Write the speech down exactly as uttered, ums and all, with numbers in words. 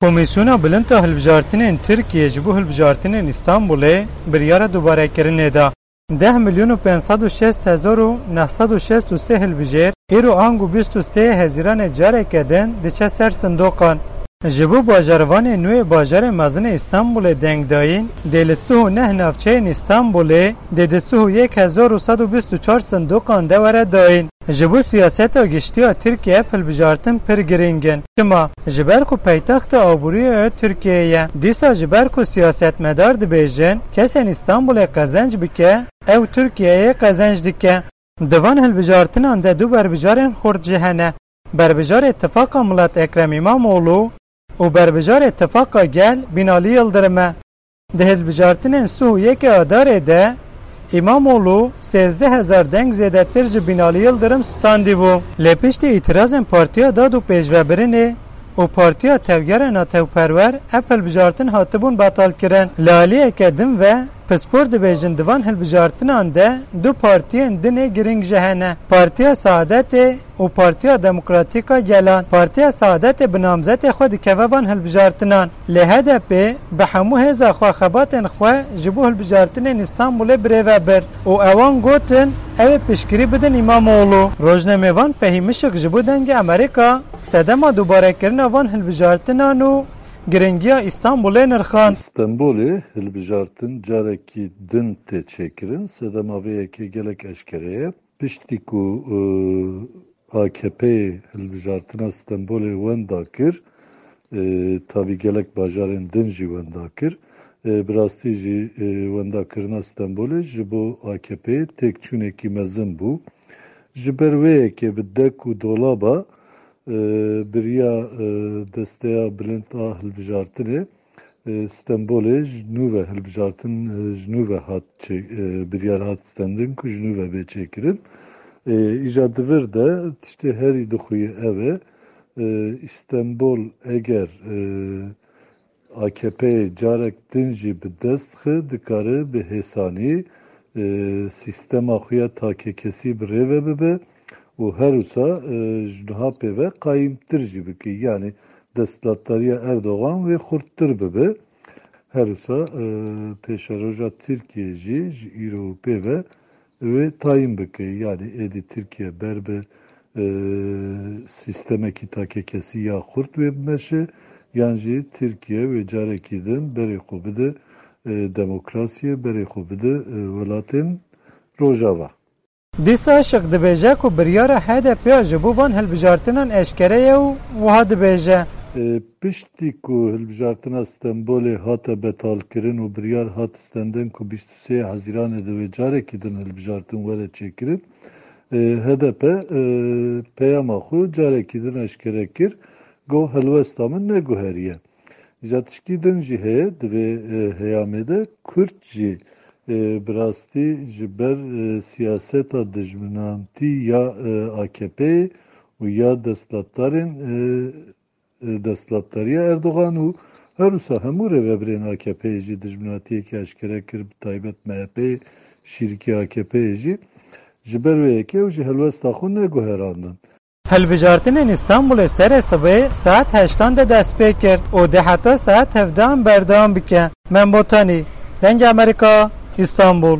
Komîsyona Bilind a Hilbijartinên Tirkiyê ji bo hilbijartinên Îstanbulê biryara dubarekirinê da. Deh milyon û pênc sed û şêst hezar û neh sed û şêst û sê hilbijêr îro ango bîst û sê Hezîranê careke din diçe ser sindoqan. Ji bo bajarvanên nû yê bajarê mezin ê Îstanbulê dengdayîn dê li sih û neh navçeyên Îstanbulê dê di sih û yek hezar û sed û bîst û çar sindoqan de were dayîn. Ji bo siyaseta giştî ya Tirkiyê ev hilbijartin pir girîng in. Çima? Ji ber ku paytexta aboriyê ya Tirkiyeyê ye. Dîsa ji ber ku siyasetmedar dibêjin, kesên Îstanbulê qezenc bike, ew Tirkiyeyê qezenc dike. Di van hilbijartinan de du berbijarên xurt jî hene. Berbijarê Tifaqa Milet Ekrem Îmamoğlu û berbijarê Tifaqa Gel Binali Yildirim e. Di hilbijartinên sih û yekê Adarê de Îmamoğlu sêzdeh hezar deng zêdetir ji Binali Yildirim standîbû. Lê piştî îtirazên Partiya Dad û Pêşvebirinê û Partiya Tevgera Netewperwer ev hilbijartin hatibûn betalkirin. Li aliyeke din ve pispor dibêjin di van hilbijartinan de du partiyên din ê girîng jî hene. Partiya Saadetê û Partiya Demokratîk a Gelan. Partiya Saadetê bi namzetê xwe dikeve van hilbijartinan. Lê H D P bi hemû hêza xwe xebatên xwe ji bo hilbijartinên Îstanbulê birêve bir û ewan gotin, ew ê piştgirî bidin Îmamoğlu. Rojnamevan Fehîm Işik ji bo Dengê Amerîka sedema dubarekirina van hilbijartinan û giringiya Îstanbulê nirxand. Stenbolê hilbijartin carekî din tê çêkirin. Sedema vê yekê gelek eşkere ye. Piştî ku, e, A K P hilbijartina Stenbolê wenda kir, e, tabî gelek bajarên din jî wenda kir. E, bi rastî jî, e, wendakirina Stenbolê ji bo A K P têkçûnekî mezin bû. Ji ber wê yekê bi dek û dolaba, e, biriya, e, Desteya Bilind a Hilbijartinê, e, Stenbolê ji nû ve hilbijartin, e, ji nû ve hat çê-, e, biryar hat stendin ku ji nû ve bê çêkirin. E, îja di vir de tiştê herî dixuye ev e. E, Stenbol eger, e, A K P carek din jî bi dest xi dikare bi hêsanî, e, sîstema xwe ya takekesî bi rê ve bibe û her wisa, e, ji niha pê ve qayîmtir jî bike. Yanî desthilatdariya Erdogan wê xurttir bibe. Her wisa, e, pêşeroja Tirkiye jî ji îro û pê ve wê tayîn bike. Yanî êdî Tirkiye ber bi, e, sîstemekî takekesî ya xurt wê bimeşe, yan jî Tirkiye wê carekî din berê xwe bide, e, demokrasiyê, berê xwe bide, e, welatên Rojava. Dîsa Işik dibêje ku biryara H D P ya ji bo van hilbijartinan eşkere ye û wiha dibêje. E, piştî ku hilbijartina Stenbolê hate betalkirin û biryar hat stendin ku bîst û sê Hezîranê de wê carekî din hilbijartin were çêkirin, e, H D P, e, peyama xwe carekî din eşkere kir, got, helwesta min neguheriye. Îca tişkî din jî heye, di vê, e, heyamê de Kurd jî, e, bi rastî ji ber, e, siyaseta dijminantî ya, e, A K P û ya desthilatdarên, e, e, desthilatdariya Erdogan û her wisa hemû rêvebirên A K P'yê jî dijminatiyekî eşkere kir, bi taybet M H P'yê, şîrikê A K P'yê jî. Ji ber wê yekê ew jî helwesta xwe neguherandin. Hilbijartinên Îstanbulê serê sibê saet heştan de dest pê kir û dê heta saet hevdehan berdewam bike. Mem Botanî, Dengê Amerîka, Îstanbul.